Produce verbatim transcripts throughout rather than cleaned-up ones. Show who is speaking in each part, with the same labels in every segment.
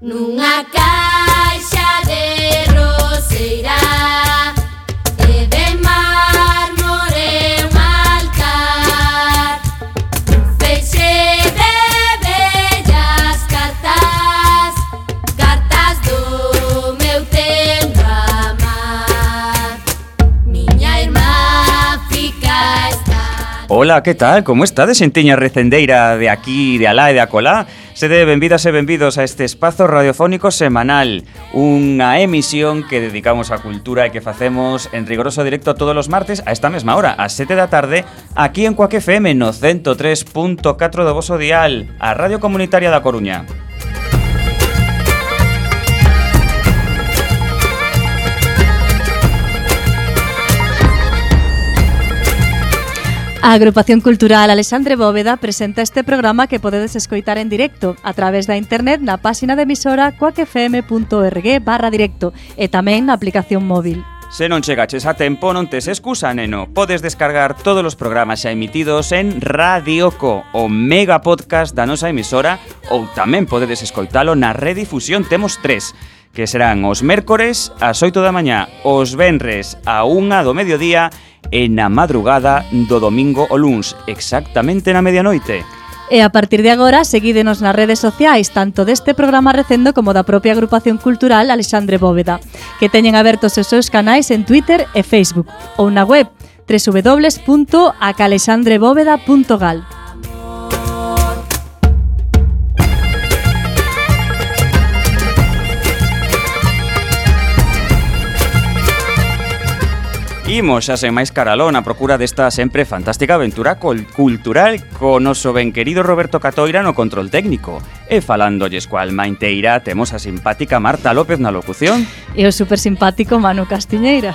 Speaker 1: Nunha caixa de roseira e de mármore un altar, un feixe de bellas cartas, cartas do meu tempo a amar. Miña irmá fica esta...
Speaker 2: Hola, que tal? Como estades, xentiña recendeira de aquí, de alá e de acolá? Sede benvidas e benvidos a este espazo radiofónico semanal, unha emisión que dedicamos á cultura e que facemos en rigoroso directo todos os martes a esta mesma hora, ás sete da tarde, aquí en Cuac F M no ciento tres punto catro do voso dial, a Radio Comunitaria da Coruña.
Speaker 3: A Agrupación Cultural Alexandre Bóveda presenta este programa que podedes escoitar en directo a través da internet na páxina de emisora cuacfm.org barra directo e tamén na aplicación móvil.
Speaker 2: Se non chegaches a tempo, non tes excusa, neno. Podes descargar todos os programas xa emitidos en Radioco, o mega podcast da nosa emisora, ou tamén podedes escoitalo na redifusión. Temos tres, que serán os mércores ás oito da mañá, os venres a unha do mediodía e na madrugada do domingo o luns, exactamente na medianoite.
Speaker 3: E a partir de agora, seguídenos nas redes sociais, tanto deste programa recendo como da propia Agrupación Cultural Alexandre Bóveda, que teñen abertos os seus canais en Twitter e Facebook, ou na web doble u doble u doble u punto a calexandre bóveda punto gal.
Speaker 2: Imos xa sen máis caralón a procura desta sempre fantástica aventura cultural co noso ben querido Roberto Catoira no control técnico. E falándolles coa alma inteira, temos a simpática Marta López na locución.
Speaker 3: E o super simpático Manu Castiñeira.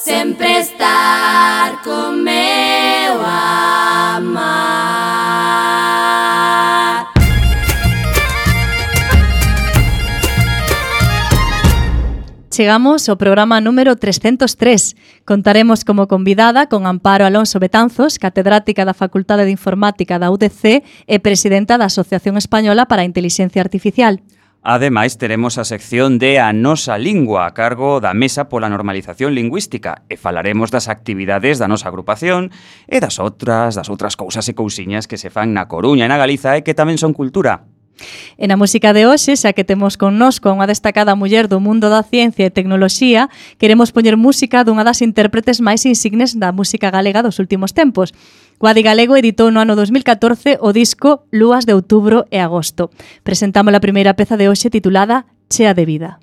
Speaker 1: Sempre estar con meu amar.
Speaker 3: Chegamos ao programa número trescentos tres. Contaremos como convidada con Amparo Alonso Betanzos, catedrática da Facultade de Informática da U D C e presidenta da Asociación Española para a Intelixencia Artificial.
Speaker 2: Ademais, teremos a sección de A Nosa Lingua a cargo da Mesa pola Normalización Lingüística e falaremos das actividades da nosa agrupación e das outras, das outras cousas e cousiñas que se fan na Coruña e na Galiza e que tamén son cultura.
Speaker 3: E na música de hoxe, xa que temos connosco unha destacada muller do mundo da ciencia e tecnoloxía, queremos poñer música dunha das intérpretes máis insignes da música galega dos últimos tempos. Guadi Galego editou no ano dos mil catorce o disco Lúas de Outubro e Agosto. Presentamos a primeira peza de hoxe titulada Chea de Vida.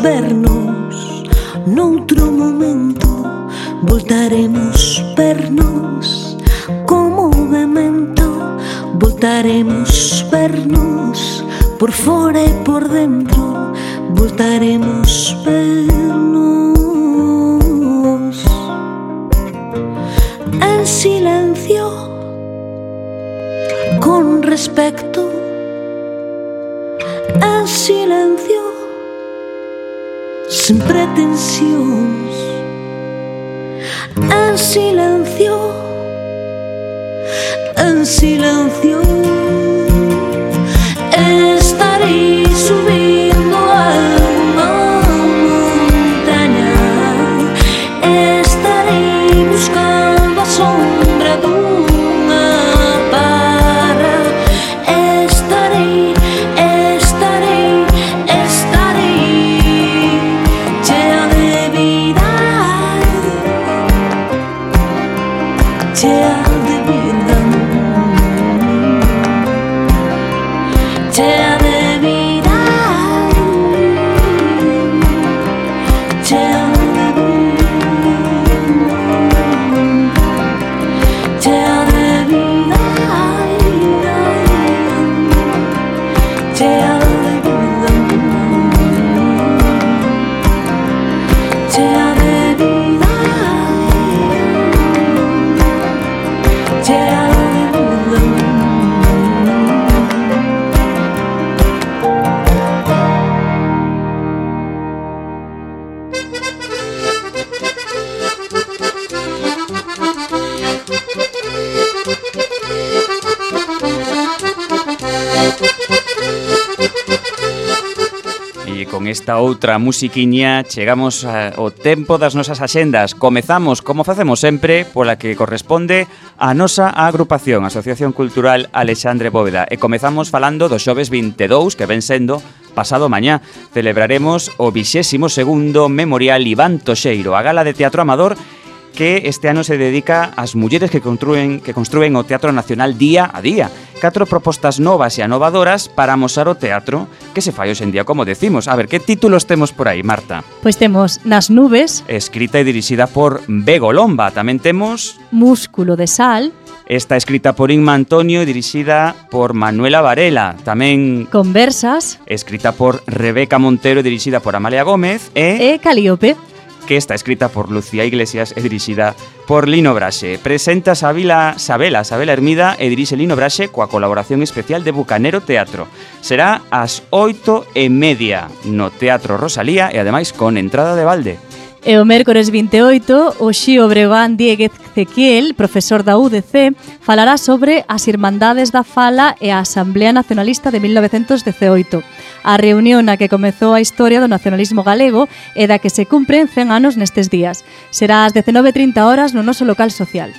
Speaker 4: vernos noutro momento. voltaremos vernos como memento, voltaremos vernos por fora e por dentro, voltaremos vernos en silencio, con respecto, en silencio, sin pretensións, en silencio, en silencio. Estarei subindo a unha montaña, estarei buscando a sombra dunha parra, estarei, estarei, estarei chea de vida, chea de vida, chea de vida, chea de vida, chea de vida, chea de vida, chea de vida, chea de vida.
Speaker 2: E con esta outra musiquiña chegamos ao tempo das nosas axendas. Comezamos, como facemos sempre, pola que corresponde a nosa agrupación, Asociación Cultural Alexandre Bóveda. E comezamos falando do xoves vinte e dous, que ven sendo pasado mañá. Celebraremos o vixésimo segundo Memorial Iván Toxeiro, a gala de teatro amador que este ano se dedica ás mulleres que construen, que construen o Teatro Nacional día a día. Catro propostas novas e anovadoras para amosar o teatro que se fai hoxe en día, como decimos. A ver, que títulos temos por aí, Marta?
Speaker 3: Pois temos Nas nubes,
Speaker 2: Escrita e dirixida por Bego Lomba. Tamén temos
Speaker 3: Músculo de sal,
Speaker 2: esta escrita por Inma Antonio e dirixida por Manuela Varela. Tamén
Speaker 3: Conversas
Speaker 2: escrita por Rebeca Montero e dirixida por Amalia Gómez. E
Speaker 3: e Calíope.
Speaker 2: que está escrita por Lucía Iglesias e dirixida por Lino Braxe. Presenta Sabila, Sabela, Sabela Hermida e dirixe Lino Braxe coa colaboración especial de Bucanero Teatro. Será ás oito e media no Teatro Rosalía e ademais con entrada de balde.
Speaker 3: E o mércores vinte e oito, o Xío Breogán Dieguez Ezequiel, profesor da U D C, falará sobre as Irmandades da Fala e a Asamblea Nacionalista de mil novecentos dezaoito. A reunión na que comezou a historia do nacionalismo galego e da que se cumpren cen anos nestes días. Será ás dezenove e trinta horas no noso local social.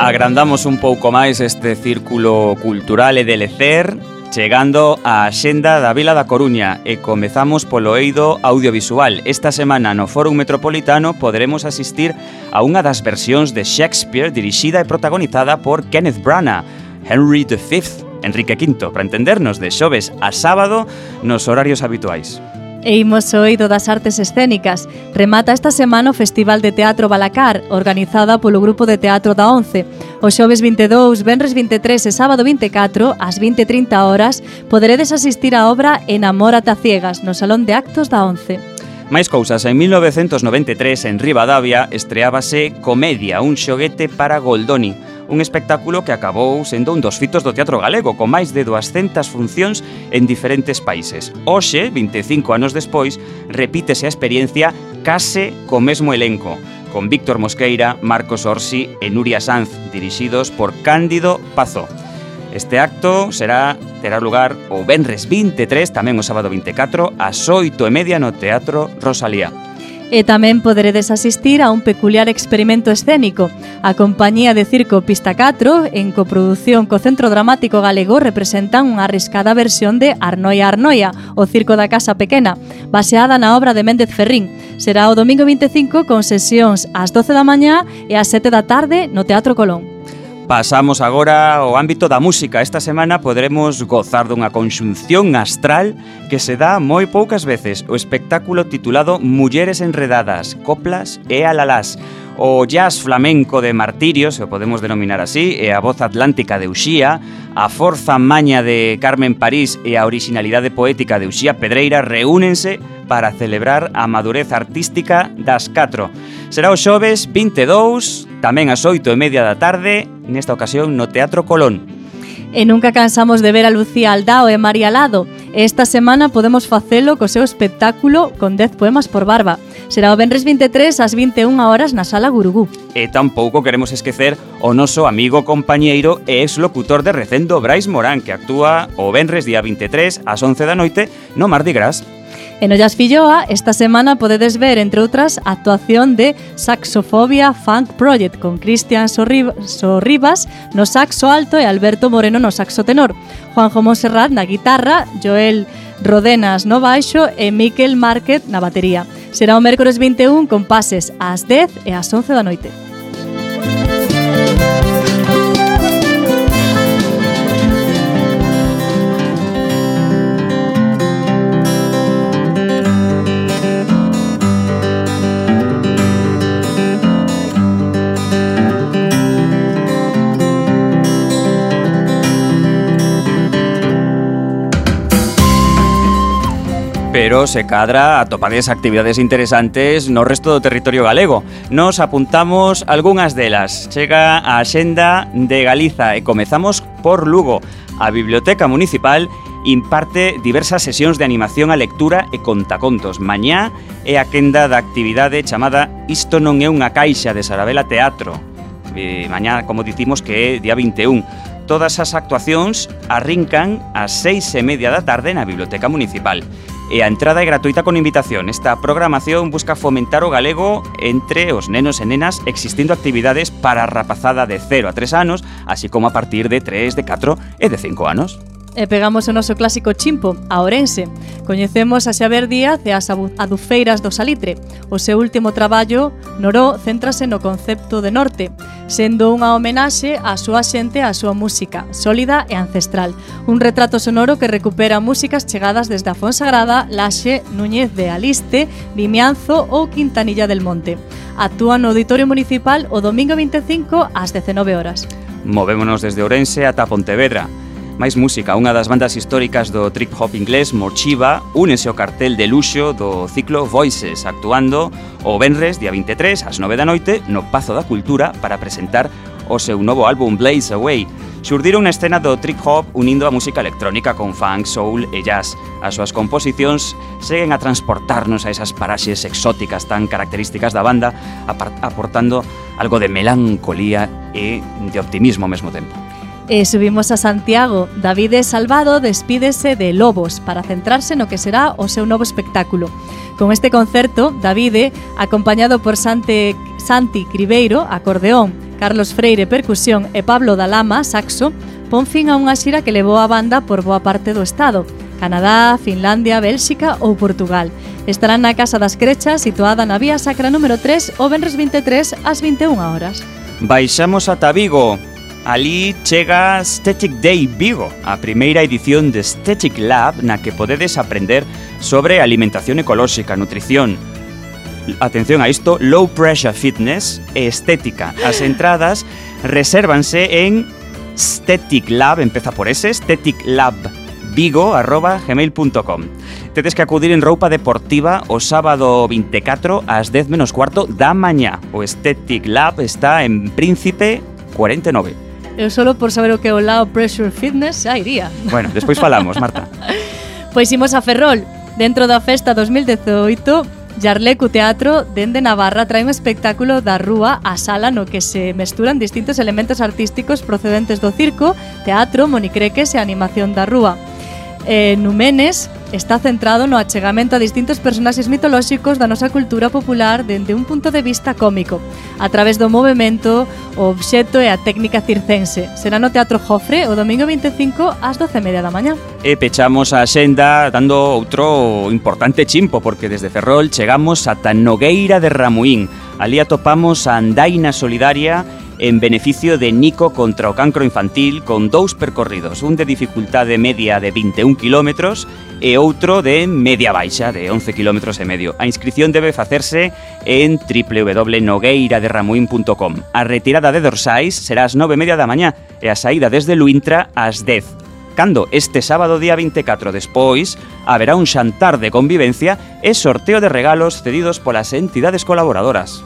Speaker 2: Agrandamos un pouco máis este círculo cultural e de lecer, chegando á Axenda da Vila da Coruña e comezamos polo eido audiovisual. Esta semana no Fórum Metropolitano poderemos asistir a unha das versións de Shakespeare dirixida e protagonizada por Kenneth Branagh, Henry the Fifth, Enrique quinto, para entendernos, de xoves a sábado nos horarios habituais.
Speaker 3: E imos ao eido das artes escénicas. Remata esta semana o Festival de Teatro Balacar, organizada polo Grupo de Teatro da ONCE. O xoves vinte e dous, venres vinte e tres e sábado vinte e catro, ás vinte e trinta horas, poderedes asistir á obra Enamórate a ciegas, no Salón de Actos da ONCE.
Speaker 2: Máis cousas, en mil novecentos noventa e tres, en Ribadavia, estreábase Comedia, un xoguete para Goldoni, un espectáculo que acabou sendo un dos fitos do teatro galego, con máis de duascentas funcións en diferentes países. Hoxe, vinte e cinco anos despois, repítese a experiencia case co mesmo elenco, con Víctor Mosqueira, Marcos Orsi e Nuria Sanz, dirixidos por Cándido Pazó. Este acto será terá lugar o venres vinte e tres, tamén o sábado vinte e catro, ás oito e media no Teatro Rosalía.
Speaker 3: E tamén poderedes asistir a un peculiar experimento escénico. A compañía de circo Pista catro, en coproducción co Centro Dramático Galego, representan unha arriscada versión de Arnoia Arnoia, o circo da Casa Pequena, baseada na obra de Méndez Ferrín. Será o domingo vinte e cinco con sesións ás doce da mañá e ás sete da tarde no Teatro Colón.
Speaker 2: Pasamos agora ao ámbito da música. Esta semana poderemos gozar dunha conxunción astral que se dá moi poucas veces. O espectáculo titulado Mulleres enredadas, coplas e alalás. O jazz flamenco de Martirio, se o podemos denominar así, e a voz atlántica de Uxía, a forza maña de Carmen París e a originalidade poética de Uxía Pedreira reúnense para celebrar a madurez artística das catro. Será o xoves vinte e dous, tamén ás oito e media da tarde, nesta ocasión no Teatro Colón.
Speaker 3: E nunca cansamos de ver a Lucía Aldao e María Lado. E esta semana podemos facelo co seu espectáculo con dez poemas por barba. Será o venres vinte e tres ás vinte e unha horas na Sala Gurugú.
Speaker 2: E tampouco queremos esquecer o noso amigo compañeiro e exlocutor de Recendo, Brais Morán, que actúa o venres día vinte e tres ás once da noite no Mardi Gras.
Speaker 3: En Ollas Filloa, esta semana podedes ver, entre outras, a actuación de Saxofobia Funk Project con Cristian Sorribas no saxo alto e Alberto Moreno no saxo tenor, Juanjo Monserrat na guitarra, Joel Rodenas no baixo e Miquel Márquez na batería. Será o mércores vinte e un con pases ás dez e ás once da noite.
Speaker 2: Pero se cadra atopades actividades interesantes no resto do territorio galego. Nos apuntamos algunhas delas. Chega a Axenda de Galiza e comezamos por Lugo. A Biblioteca Municipal imparte diversas sesións de animación a lectura e contacontos. Mañá é a quenda da actividade chamada Isto non é unha caixa de Sarabela Teatro. E mañá, como dicimos, que é día vinte e un. Todas as actuacións arrincan ás seis e media da tarde na Biblioteca Municipal. E a entrada é gratuita con invitación. Esta programación busca fomentar o galego entre os nenos e nenas, existindo actividades para a rapazada de cero a tres anos, así como a partir de tres, de catro e de cinco anos.
Speaker 3: E pegamos o noso clásico chimpo, a Ourense. Coñecemos a Xavier Díaz e as adufeiras do Salitre. O seu último traballo, Noró, céntrase no concepto de norte, sendo unha homenaxe á súa xente e á súa música, sólida e ancestral. Un retrato sonoro que recupera músicas chegadas desde a Fonsagrada, Laxe, Núñez de Aliste, Vimianzo ou Quintanilla del Monte. Actúa no Auditorio Municipal o domingo vinte e cinco ás dezenove horas.
Speaker 2: Movémonos desde Ourense ata Pontevedra. Máis música, unha das bandas históricas do trip hop inglés, Morchiva, únese ao cartel de luxo do ciclo Voices, actuando o venres, día vinte e tres, ás nove da noite, no Pazo da Cultura, para presentar o seu novo álbum Blaze Away. Xurdiron unha escena do trip hop unindo a música electrónica con funk, soul e jazz. As súas composicións seguen a transportarnos a esas paraxes exóticas tan características da banda, aportando algo de melancolía e de optimismo ao mesmo tempo.
Speaker 3: E subimos a Santiago. Davide Salvado despídese de Lobos para centrarse no que será o seu novo espectáculo. Con este concerto, Davide, acompañado por Sante, Santi Cribeiro, acordeón, Carlos Freire, percusión e Pablo Dalama, saxo, pon fin a unha xira que levou a banda por boa parte do estado, Canadá, Finlandia, Bélxica ou Portugal. Estarán na Casa das Crechas, situada na Vía Sacra número tres, o venres vinte e tres ás vinte e unha horas.
Speaker 2: Baixamos ata Vigo. Ali chega Aesthetic Day Vigo, a primeira edición de Aesthetic Lab na que podedes aprender sobre alimentación ecolóxica, nutrición, atención a isto, low pressure fitness e estética. As entradas resérvanse en Aesthetic Lab, empeza por ese, aestheticlabvigo arroba gmail punto com. Tedes que acudir en roupa deportiva o sábado vinte e catro ás dez menos cuarto da mañá. O Aesthetic Lab está en Príncipe cuarenta e nove.
Speaker 3: Eu solo por saber o que é o Low Pressure Fitness xa iría.
Speaker 2: Bueno, despois falamos, Marta.
Speaker 3: Pois imos a Ferrol. Dentro da festa dos mil dezoito Yarlecu Teatro, dende Navarra, trae un espectáculo da rúa á sala no que se mesturan distintos elementos artísticos procedentes do circo, teatro, monicreques e animación da rúa. Eh, Numenes está centrado no achegamento a distintos personaxes mitolóxicos da nosa cultura popular dende un punto de vista cómico, a través do movemento, o obxecto e a técnica circense. Será no Teatro Jofre o domingo vinte e cinco ás doce e media da mañá.
Speaker 2: E pechamos a xenda dando outro importante chimpo, porque desde Ferrol chegamos ata Nogueira de Ramuín. Ali atopamos a Andaina Solidaria en beneficio de Nico contra o cancro infantil, con dous percorridos, un de dificultade media de vinte e un kilómetros e outro de media baixa de once kilómetros e medio. A inscripción debe facerse en w w w punto nogueira de ramuín punto com. A retirada de dorsais será ás nove e media da mañá e a saída desde Luintra ás dez. Cando este sábado día vinte e catro despois haberá un xantar de convivencia e sorteo de regalos cedidos polas entidades colaboradoras.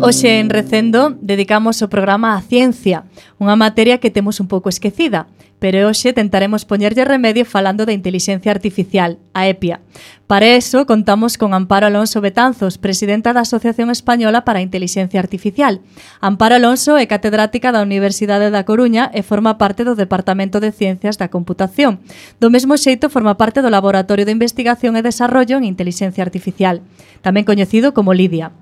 Speaker 3: Hoxe en Recendo dedicamos o programa á ciencia, unha materia que temos un pouco esquecida, pero hoxe tentaremos poñerlle remedio falando de inteligencia artificial, a EPIA. Para eso contamos con Amparo Alonso Betanzos, presidenta da Asociación Española para a Inteligencia Artificial. Amparo Alonso é catedrática da Universidade da Coruña e forma parte do Departamento de Ciencias da Computación. Do mesmo xeito forma parte do Laboratorio de Investigación e Desarrollo en Inteligencia Artificial, tamén coñecido como LIDIA.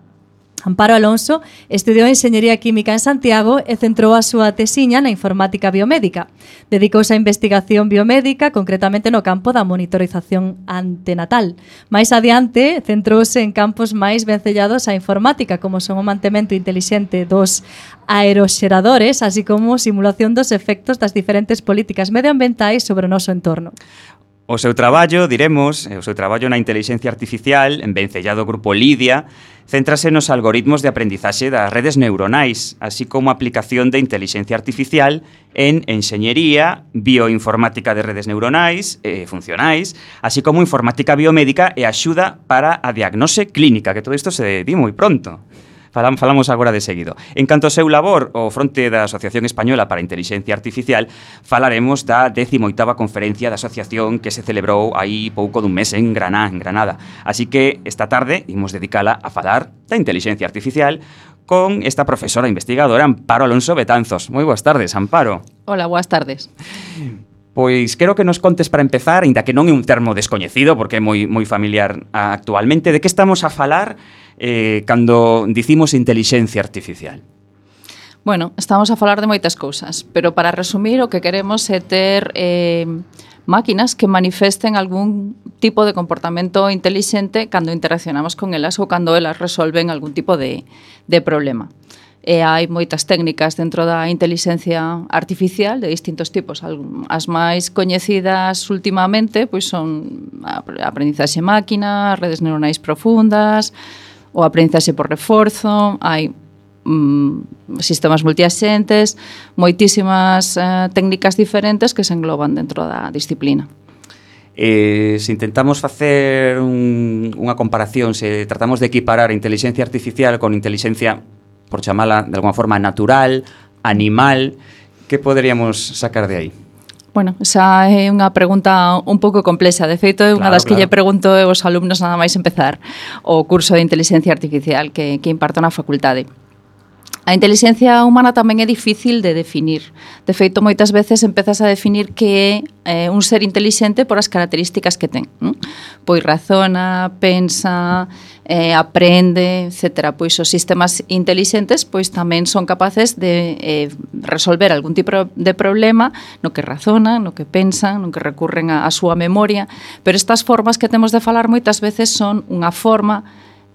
Speaker 3: Amparo Alonso estudiou Enxeñería Química en Santiago e centrou a súa tesiña na informática biomédica. Dedicouse á investigación biomédica, concretamente no campo da monitorización antenatal. Mais adiante, centrouse en campos máis vencellados á informática, como son o mantemento intelixente dos aeroxeradores, así como simulación dos efectos das diferentes políticas medioambientais sobre o noso entorno.
Speaker 2: O seu traballo, diremos, o seu traballo na inteligencia artificial, en vencellado grupo LIDIA, céntrase nos algoritmos de aprendizaxe das redes neuronais, así como a aplicación de inteligencia artificial en enxeñería, bioinformática de redes neuronais e funcionais, así como informática biomédica e axuda para a diagnose clínica, que todo isto se di moi pronto. Falamos agora de seguido. En canto ao seu labor, o fronte da Asociación Española para a Inteligencia Artificial, falaremos da décima oitava conferencia da asociación que se celebrou aí pouco dun mes en Granada, en Granada. Así que esta tarde imos dedicala a falar da inteligencia artificial con esta profesora investigadora Amparo Alonso Betanzos. Moi boas tardes, Amparo.
Speaker 5: Hola, boas tardes.
Speaker 2: Pois quero que nos contes para empezar, aínda que non é un termo descoñecido, porque é moi moi familiar actualmente, de que estamos a falar eh, cando dicimos inteligencia artificial.
Speaker 5: Bueno, estamos a falar de moitas cousas, pero para resumir o que queremos é ter eh, máquinas que manifesten algún tipo de comportamento intelixente cando interaccionamos con elas ou cando elas resolven algún tipo de, de problema. E hai moitas técnicas dentro da inteligencia artificial de distintos tipos. As máis coñecidas últimamente pois son a aprendizaxe máquina, redes neuronais profundas, o aprendizaxe por reforzo, hai mm, sistemas multiaxentes, moitísimas eh, técnicas diferentes que se engloban dentro da disciplina.
Speaker 2: Eh, se intentamos facer un, unha comparación, se tratamos de equiparar a inteligencia artificial con inteligencia, por chamala de alguma forma, natural, animal, que poderíamos sacar de aí?
Speaker 5: Bueno, esa é unha pregunta un pouco complexa. De feito, é unha
Speaker 2: claro,
Speaker 5: das que
Speaker 2: claro.
Speaker 5: lle pregunto aos alumnos nada máis empezar o curso de inteligencia artificial que, que imparto na facultade. A inteligencia humana tamén é difícil de definir. De feito, moitas veces empezas a definir que é eh, un ser intelixente por as características que ten. Non? Pois razona, pensa, eh, aprende, etcétera. Pois os sistemas intelixentes pois tamén son capaces de eh, resolver algún tipo de problema no que razonan, no que pensan, no que recurren a, a súa memoria, pero estas formas que temos de falar moitas veces son unha forma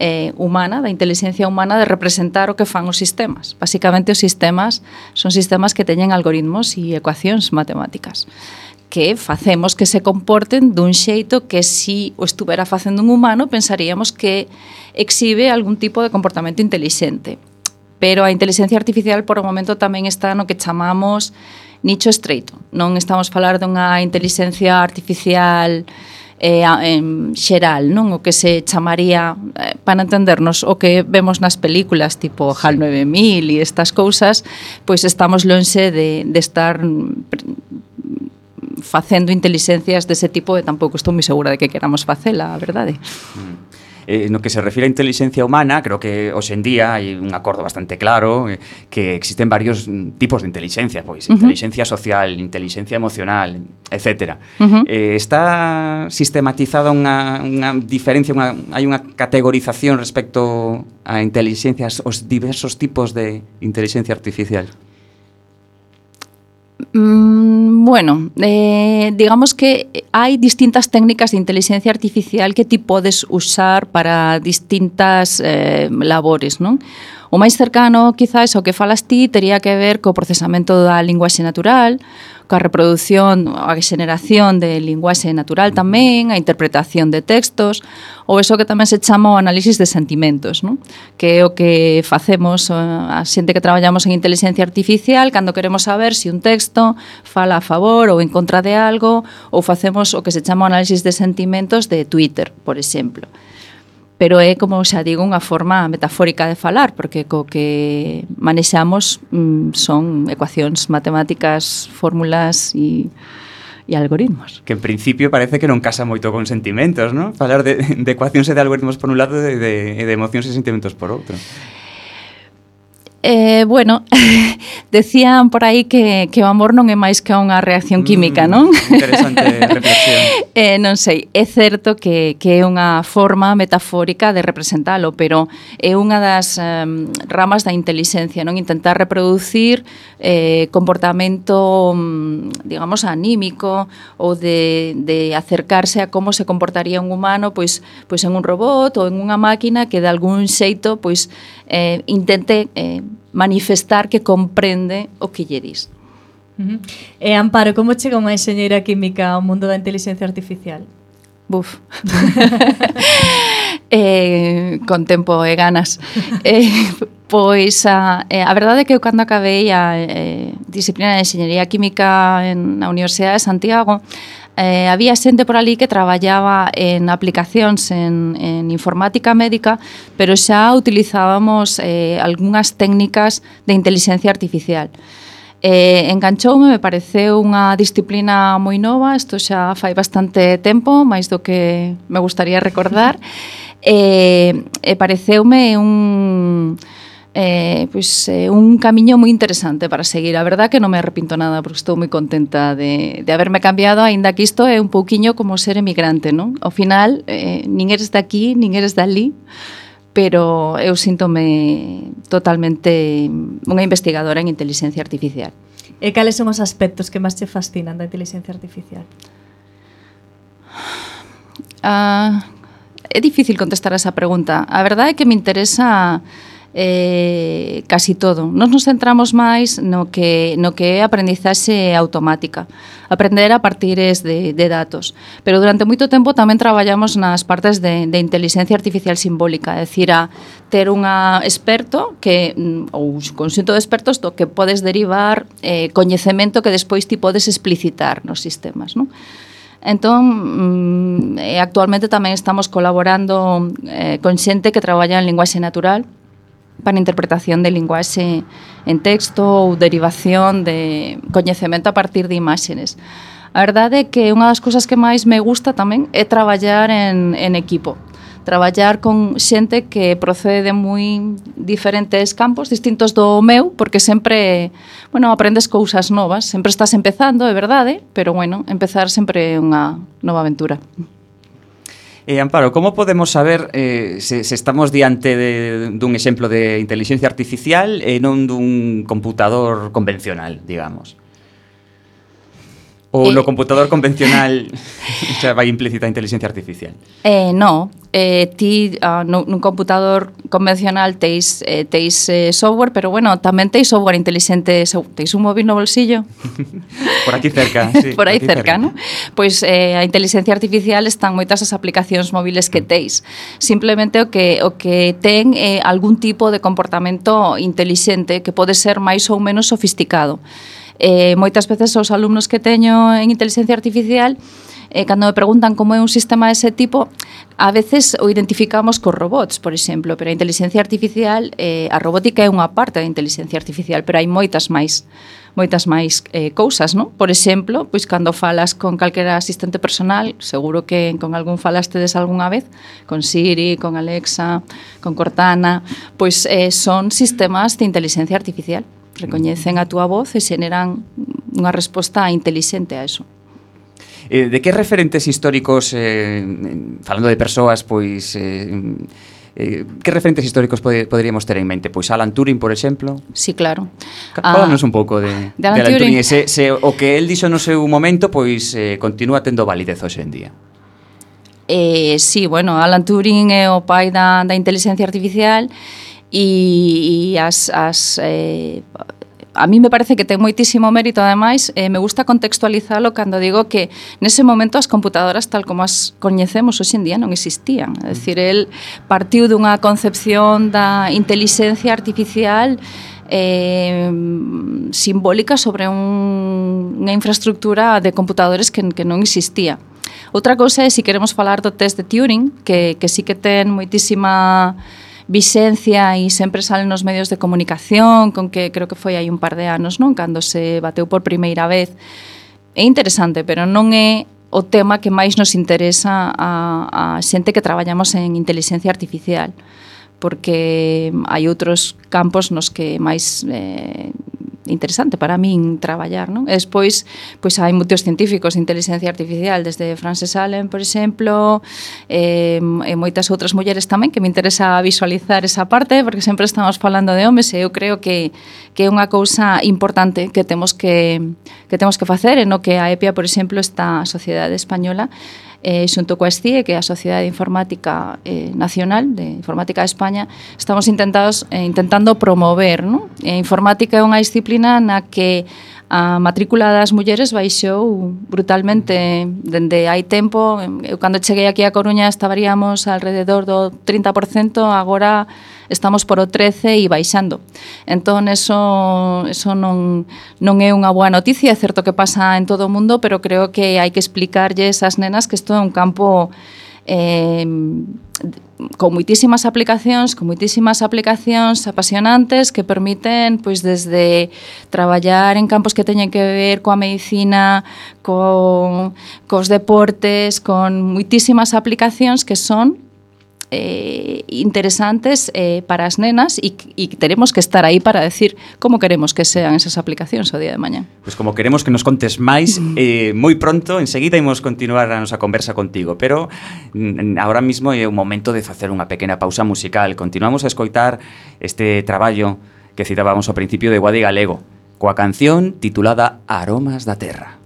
Speaker 5: Eh, humana, da inteligencia humana de representar o que fan os sistemas. Básicamente os sistemas son sistemas que teñen algoritmos e ecuacións matemáticas. que facemos que se comporten dun xeito que si o estuvera facendo un humano pensaríamos que exhibe algún tipo de comportamento intelixente. Pero a inteligencia artificial por o momento tamén está no que chamamos nicho estreito. Non estamos a falar dunha inteligencia artificial eh, en xeral, non? O que se chamaría, eh, para entendernos, o que vemos nas películas tipo HAL nove mil e estas cousas, pois estamos lonxe de, de estar facendo inteligencias dese tipo e tampouco estou moi segura de que queramos facela, a verdade.
Speaker 2: Eh, no que se refire a inteligencia humana, creo que hoxe en día hai un acordo bastante claro eh, que existen varios tipos de inteligencia, pois uh-huh. inteligencia social, inteligencia emocional, etcétera. Uh-huh. Eh, está sistematizada unha, unha diferencia, unha, hai unha categorización respecto a inteligencias, os diversos tipos de inteligencia artificial.
Speaker 5: Mm, bueno, eh, digamos que hai distintas técnicas de inteligencia artificial que ti podes usar para distintas eh, labores, non? O máis cercano, quizás, ao que falas ti, tería que ver co procesamento da linguaxe natural, coa reproducción, a xeneración de linguaxe natural tamén, a interpretación de textos, ou eso que tamén se chama o análisis de sentimentos, non? Que é o que facemos a xente que traballamos en inteligencia artificial cando queremos saber se un texto fala a favor ou en contra de algo, ou facemos o que se chama o análisis de sentimentos de Twitter, por exemplo. Pero é, como xa digo, unha forma metafórica de falar, porque co que manexamos mm, son ecuacións matemáticas, fórmulas e, e algoritmos.
Speaker 2: Que en principio parece que non casa moito con sentimentos, non? Falar de, de ecuacións e de algoritmos por un lado e de, de, de emocións e sentimentos por outro.
Speaker 5: Eh, bueno, decían por aí que, que o amor non é máis que unha reacción química, mm, non?
Speaker 2: Interesante reflexión.
Speaker 5: eh, non sei, é certo que, que é unha forma metafórica de representalo, pero é unha das um, ramas da inteligencia, non? Intentar reproducir eh, comportamento, digamos, anímico ou de, de acercarse a como se comportaría un humano pois, pois en un robot ou en unha máquina que de algún xeito pois, eh, intente eh, manifestar que comprende o que lle dis.
Speaker 3: Uh-huh. E Amparo, como chega unha enxeñeira química ao mundo da inteligencia artificial?
Speaker 5: Buf. eh, con tempo e ganas. eh, pois a, eh, a verdade é que eu cando acabei a eh, disciplina de enxeñería química en, na Universidade de Santiago, Eh, había xente por ali que traballaba en aplicacións en, en informática médica, pero xa utilizábamos eh, algunhas técnicas de inteligencia artificial. Eh, enganchoume, me pareceu unha disciplina moi nova, isto xa fai bastante tempo, máis do que me gustaría recordar, e eh, eh, pareceume un... Eh, pois, eh, un camiño moi interesante para seguir. A verdad que non me arrepinto nada porque estou moi contenta de, de haberme cambiado, aínda que isto é un pouquiño como ser emigrante, non? Ao final, eh, nin eres daqui, nin eres dali, pero eu síntome totalmente unha investigadora en inteligencia artificial.
Speaker 3: E cales son os aspectos que máis te fascinan da inteligencia artificial?
Speaker 5: Ah, é difícil contestar a esa pregunta. A verdade é que me interesa eh, casi todo. Nos nos centramos máis no que, no que é aprendizaxe automática, aprender a partires de, de datos. Pero durante moito tempo tamén traballamos nas partes de, de inteligencia artificial simbólica, é dicir, a ter unha experto que, ou un conxunto de expertos do que podes derivar eh, coñecemento que despois ti podes explicitar nos sistemas, non? Entón, mm, actualmente tamén estamos colaborando eh, con xente que traballa en linguaxe natural para interpretación de linguaxe en texto ou derivación de coñecemento a partir de imaxes. A verdade é que unha das cousas que máis me gusta tamén é traballar en, en equipo. Traballar con xente que procede de moi diferentes campos, distintos do meu, porque sempre, bueno, aprendes cousas novas, sempre estás empezando, é verdade, pero, bueno, empezar sempre é unha nova aventura.
Speaker 2: Eh, Amparo, como podemos saber eh, se, se estamos diante de, dun exemplo de inteligencia artificial e non dun computador convencional, digamos? Ou eh, no computador convencional xa vai implícita a inteligencia artificial?
Speaker 5: Eh, no, eh, ti uh, no, nun computador convencional teis, eh, teis eh, software, pero bueno, tamén teis software inteligente, teis un móvil no bolsillo.
Speaker 2: Por aquí cerca, sí.
Speaker 5: Por aí
Speaker 2: aquí
Speaker 5: cerca, non? Pois eh, a inteligencia artificial están moitas as aplicacións móviles que teis. Simplemente o que o que ten é eh, algún tipo de comportamento inteligente que pode ser máis ou menos sofisticado. Eh, moitas veces os alumnos que teño en inteligencia artificial, eh, cando me preguntan como é un sistema dese tipo, a veces o identificamos cos robots, por exemplo, pero a inteligencia artificial, eh, a robótica é unha parte da inteligencia artificial, pero hai moitas máis moitas máis eh, cousas, non? Por exemplo, pois cando falas con calquera asistente personal, seguro que con algún falastedes algunha vez, con Siri, con Alexa, con Cortana, pois eh, son sistemas de inteligencia artificial. Recoñecen a túa voz e xeneran unha resposta intelixente a eso.
Speaker 2: Eh, de que referentes históricos, eh, falando de persoas, pois... Eh, eh, que referentes históricos pode, poderíamos ter en mente? Pois Alan Turing, por exemplo?
Speaker 5: Sí, claro.
Speaker 2: Fálanos ah, un pouco de,
Speaker 5: de Alan, de Alan Turing.
Speaker 2: Turing. Se, se o que el dixo no seu momento, pois eh, continúa tendo validez hoxe en día.
Speaker 5: Eh, sí, bueno, Alan Turing é o pai da, da inteligencia artificial e, e as... as eh, a mí me parece que ten moitísimo mérito, ademais, eh, me gusta contextualizalo cando digo que nese momento as computadoras tal como as coñecemos hoxe en día non existían. É dicir, el partiu dunha concepción da inteligencia artificial eh, simbólica sobre un, unha infraestructura de computadores que, que non existía. Outra cousa é, se queremos falar do test de Turing, que, que sí que ten moitísima vixencia e sempre salen nos medios de comunicación, con que creo que foi hai un par de anos, non? Cando se bateu por primeira vez. É interesante, pero non é o tema que máis nos interesa a, a xente que traballamos en inteligencia artificial, porque hai outros campos nos que máis eh, interesante para min traballar, non? E despois, pois hai moitos científicos de inteligencia artificial, desde Frances Allen, por exemplo, e, e moitas outras mulleres tamén, que me interesa visualizar esa parte, porque sempre estamos falando de homes, e eu creo que, que é unha cousa importante que temos que, que temos que facer, e no que a EPIA, por exemplo, esta Sociedade Española, eh, xunto coa S T I E, que é a Sociedade Informática eh, Nacional de Informática de España, estamos intentados, eh, intentando promover, non? E informática é unha disciplina na que a matrícula das mulleres baixou brutalmente dende hai tempo. Eu cando cheguei aquí a Coruña estaríamos alrededor do trinta por cento, agora estamos por o trece e baixando. Entón, eso, eso non, non é unha boa noticia, é certo que pasa en todo o mundo, pero creo que hai que explicarlles ás nenas que isto é un campo eh, con moitísimas aplicacións, con moitísimas aplicacións apasionantes que permiten, pois, desde traballar en campos que teñen que ver coa medicina, con, cos deportes, con moitísimas aplicacións que son Eh, interesantes eh, para as nenas e, e teremos que estar aí para decir como queremos que sean esas aplicacións o día de mañá.
Speaker 2: Pois pues como queremos que nos contes máis, eh, moi pronto, enseguida imos continuar a nosa conversa contigo, pero mm, ahora mismo é o momento de facer unha pequena pausa musical. Continuamos a escoitar este traballo que citábamos ao principio de Guadi Galego, coa canción titulada Aromas da Terra.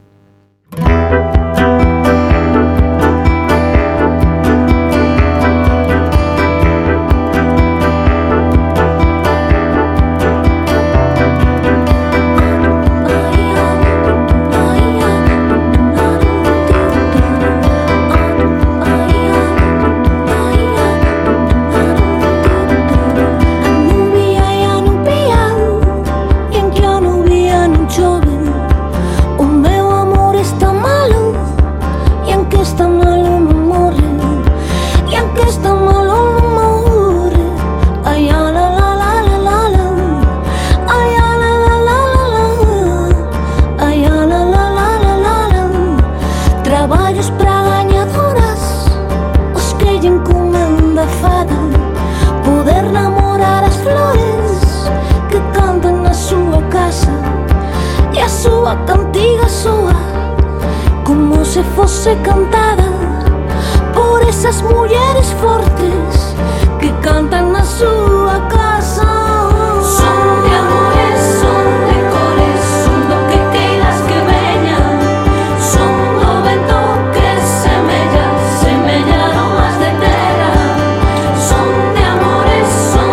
Speaker 4: Son de amores, son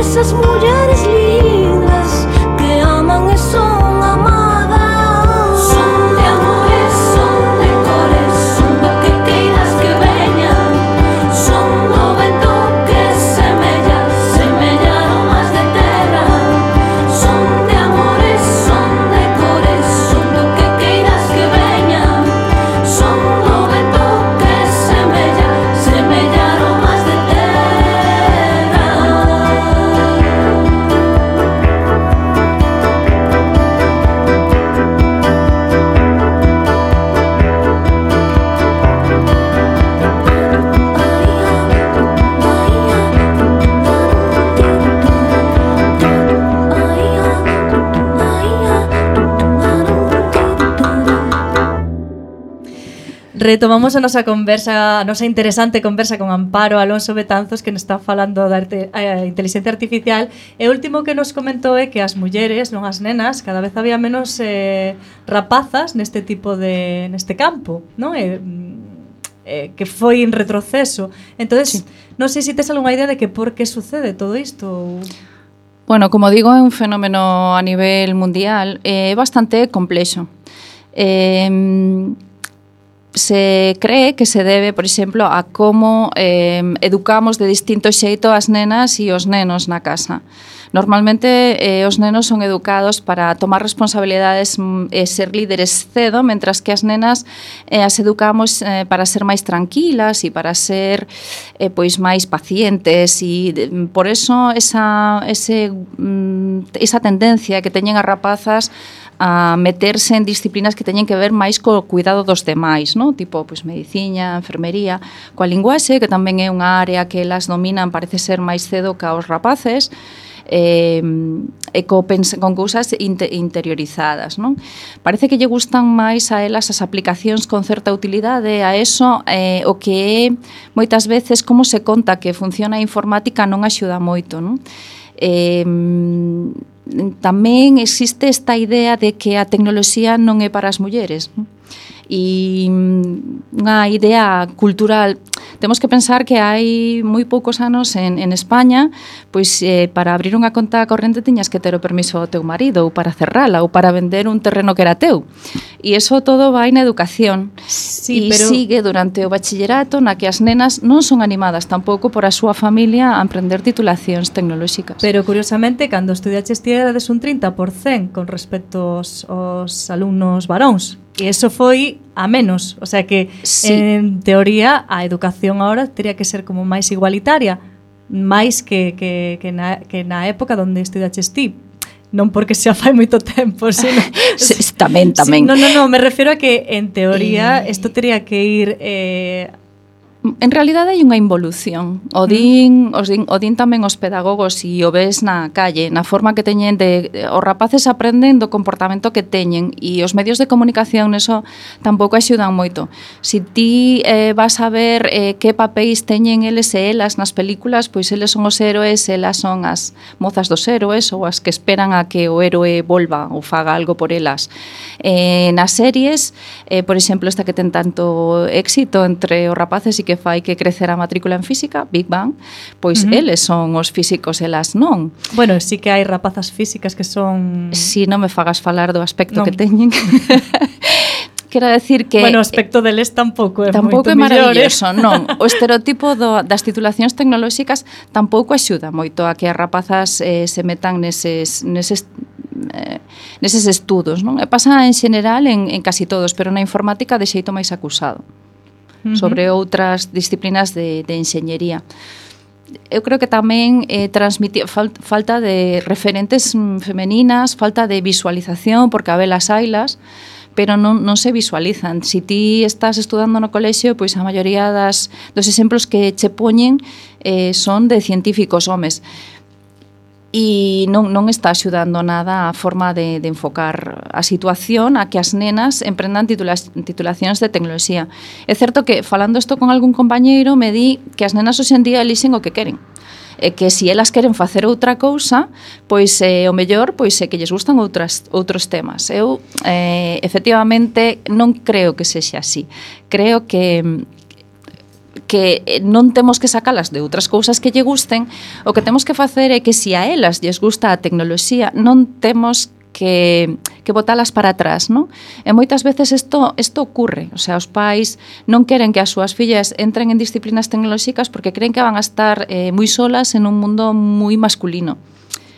Speaker 4: esas mulleres lindas que aman e son amadas. Son de amores, son de cores, son do que queiras que veña. Son do vento que semella, semella aromas de terra. Son de amores, son de cores, son do que queiras que veña. Son do vento que semella, semella aromas de terra.
Speaker 3: Retomamos a nosa conversa, a nosa interesante conversa con Amparo Alonso Betanzos, que nos está falando da arte, eh, inteligencia artificial. E o último que nos comentou é que as mulleres, non as nenas, cada vez había menos eh, rapazas neste tipo de neste campo, non? E, eh, que foi en retroceso. Entonces, sí. Non sei se tes algunha idea de que por que sucede todo isto.
Speaker 5: Bueno, como digo, é un fenómeno a nivel mundial, é bastante complexo. Eh, se cree que se debe, por exemplo, a como eh, educamos de distinto xeito as nenas e os nenos na casa. Normalmente eh, os nenos son educados para tomar responsabilidades e eh, ser líderes cedo, mentras que as nenas eh, as educamos eh, para ser máis tranquilas e para ser eh, pois máis pacientes e de, por eso esa, ese, mm, esa tendencia que teñen as rapazas a meterse en disciplinas que teñen que ver máis co cuidado dos demais, no? Tipo, pois, mediciña, enfermería, coa linguaxe, que tamén é unha área que elas dominan, parece ser máis cedo ca os rapaces, eh, e co con cousas inter interiorizadas, non? Parece que lle gustan máis a elas as aplicacións con certa utilidade, a eso eh, o que é moitas veces como se conta que funciona a informática non axuda moito, non? Eh, tamén existe esta idea de que a tecnoloxía non é para as mulleres, non? E unha idea cultural. Temos que pensar que hai moi poucos anos en, en España, pois eh, para abrir unha conta corrente tiñas que ter o permiso do teu marido, ou para cerrala, ou para vender un terreno que era teu. E iso todo vai na educación.
Speaker 3: Sí,
Speaker 5: e
Speaker 3: pero...
Speaker 5: sigue durante o bachillerato, na que as nenas non son animadas tampouco por a súa familia a emprender titulacións tecnolóxicas.
Speaker 3: Pero curiosamente, cando estudiaches ti erades un trinta por cento con respecto aos, aos alumnos varóns. E eso foi a menos, o sea que sí. En teoría a educación agora teria que ser como máis igualitaria, máis que, que, que, na, que na época onde estudaches ti. Non porque xa fai moito tempo, sino...
Speaker 5: sí, tamén, tamén.
Speaker 3: Sí, non, non, non, me refiro a que en teoría isto eh... teria que ir... Eh,
Speaker 5: En realidade hai unha involución. O din, os din, o din tamén os pedagogos e o ves na calle, na forma que teñen de... Os rapaces aprenden do comportamento que teñen e os medios de comunicación neso tampouco axudan moito. Si ti eh, vas a ver eh, que papéis teñen eles e elas nas películas, pois eles son os héroes, elas son as mozas dos héroes ou as que esperan a que o héroe volva ou faga algo por elas. Eh, nas series, eh, por exemplo, esta que ten tanto éxito entre os rapaces e que fai que crecer a matrícula en física, Big Bang, pois uh -huh. eles son os físicos, elas non.
Speaker 3: Bueno, sí que hai rapazas físicas que son...
Speaker 5: Si non me fagas falar do aspecto
Speaker 3: non.
Speaker 5: que teñen. Quero decir que...
Speaker 3: Bueno, o aspecto deles tampouco é
Speaker 5: tampouco
Speaker 3: moito
Speaker 5: é
Speaker 3: mellor,
Speaker 5: maravilloso,
Speaker 3: eh?
Speaker 5: non. O estereotipo do, das titulacións tecnolóxicas tampouco axuda moito a que as rapazas eh, se metan neses... neses Eh, neses estudos, non? E pasa en xeral en, en casi todos, pero na informática de xeito máis acusado. Uh -huh. Sobre outras disciplinas de, de enxeñería. Eu creo que tamén eh, transmitir fal, falta de referentes femeninas, falta de visualización, porque a velas hailas, pero non, non se visualizan. Si ti estás estudando no colexio, pois a maioría das, dos exemplos que che poñen eh, son de científicos homes. E non, non está axudando nada a forma de, de enfocar a situación a que as nenas emprendan titulas, titulacións de tecnoloxía. É certo que, falando isto con algún compañeiro, me di que as nenas hoxe en día elixen o que queren. E que se elas queren facer outra cousa, pois eh, o mellor pois é que lles gustan outras, outros temas. Eu, eh, efectivamente, non creo que sexa así. Creo que que non temos que sacalas de outras cousas que lle gusten, o que temos que facer é que se a elas lles gusta a tecnoloxía, non temos que, que botalas para atrás, non? E moitas veces isto, isto ocurre, o sea, os pais non queren que as súas fillas entren en disciplinas tecnolóxicas porque creen que van a estar eh, moi solas en un mundo moi masculino.